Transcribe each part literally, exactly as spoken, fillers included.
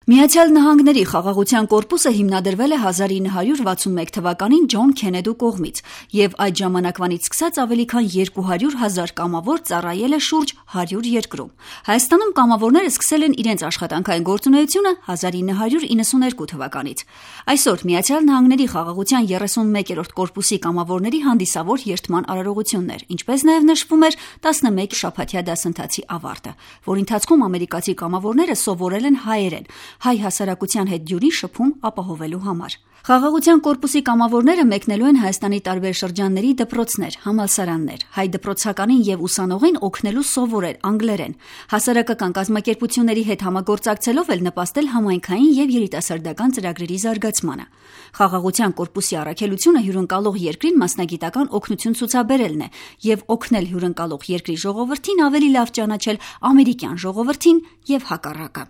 Միացյալ Նահանգների խաղաղության կորպուսը հիմնադրվել է հազար ինը հարյուր վաթսունմեկ թվականին Ջոն Քենեդու կողմից եւ այդ ժամանակվանից սկսած ավելի քան երկու հարյուր հազար կամավոր ծառայել է շուրջ հարյուր երկրում։ Հայաստանում կամավորները սկսել են իրենց աշխատանքային գործունեությունը հազար ինը հարյուր իննսունհինգ թվականից։ Այսօր Միացյալ Նահանգների խաղաղության երեսունմեկերորդ կորպուսի կամավորների հանդիսավոր երթման արարողություններ, ինչպես նաեւ նշվում էր տասնմեկ շաբաթյա դասընթացի ավարտը, որ ընթացքում ամերիկացի կամավորները սովորել են հայերեն, հայ հասարակության հետ դյուրին շփում ապահովելու համար։ Խաղաղության կորպուսի կամավորները մեկնելու են Հայաստանի տարբեր շրջանների դպրոցներ, համալսարաններ, հայ դպրոցականին եւ ուսանողին օգնելու սովորել անգլերեն, հասարակական կազմակերպությունների հետ համագործակցելով էլ նպաստել համայնքային եւ երիտասարդական ծրագրերի զարգացմանը։ Խաղաղության կորպուսի առաքելությունը հյուրընկալող երկրին մասնագիտական օգնություն ցուցաբերելն է եւ օգնել հյուրընկալող երկրի ժողովրդին ավելի լավ ճանաչել ամերիկյան ժողովրդին եւ հակառակը։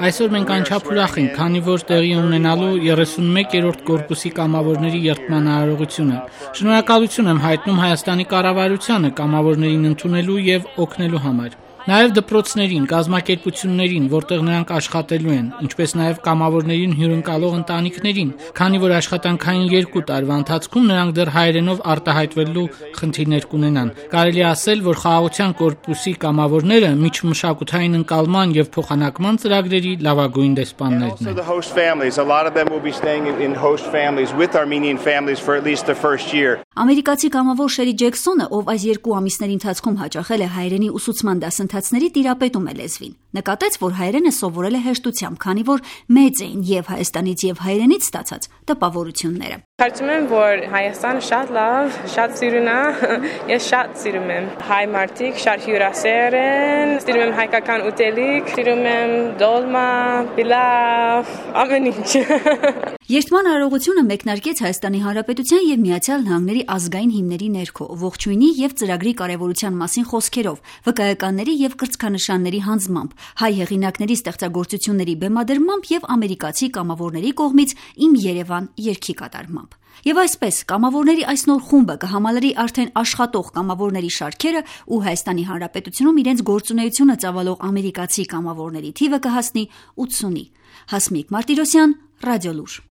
Այսօր մենք անչափ ուրախ ենք, քանի որ տեղի ունենալու երեսունմեկերորդ կորպուսի կամավորների երթման արարողությունը։ Շնորհակալություն եմ հայտնում Հայաստանի կառավարությանը կամավորներին ընդունելու եւ օգնելու համար։ Նաև դպրոցներին, կազմակերպություններին, որտեղ նրանք աշխատելու են, ինչպես նաև կամավորներին հյուրընկալող ընտանիքներին, քանի որ աշխատանքային երկու տարվա ընթացքում նրանք դեռ հայերենով արտահայտվելու խնդիրներ կունենան։ Կարելի է ասել, որ խաղաղության կորպուսի կամավորները միջմշակութային ընկալման եւ փոխանակման ծրագրերի լավագույն դեսպաններն են։ Ամերիկացի կամավոր Շերի Ջեքսոնը, ով այս երկու ամիսների ընթացքում հաճախել է հայերենի ուսուցման դասընթացների, տիրապետում է լեզվին։ Նկատեց, որ հայերենը սովորել է հեշտությամբ, քանի որ մեծ էին եւ Հայաստանից եւ հայերենից ստացած տպավորությունները։ Կարծում եմ, որ Հայաստանը շատ լավ, շատ սիրուն է, ես շատ սիրում եմ հայ մարդիկ, շատ հյուրասեր են, սիրում եմ հայկական ուտելիք, սիրում եմ դոլմա, պիլավ, ամեն ինչ։ Երթման արարողությունը մեկնարկեց Հայաստանի Հանրապետության եւ Միացյալ Նահանգների ազգային հիմների ներքո, ողջույնի եւ ծրագրի կարեւորության մասին խոսքերով, վկայականների եւ կրծքանշանների հանձնմամբ, հայ հեղինակների ստեղծագործությունների բեմադրմամբ եւ ամերիկացի կամավորների կողմից «Իմ Երևան» երգի կատարմամբ։ Եվ այսպես կամավորների այս նոր խումբը կհամալրի արդեն աշխատող կամավորների շարքերը ու Հայաստանի Հանրապետությունում իրենց գործունեությունը ծավալող ամերիկացի կամավորների թիվը կհասնի ութսունի։ Հասմիկ Մարտիրոսյան, Ռադիոլուր։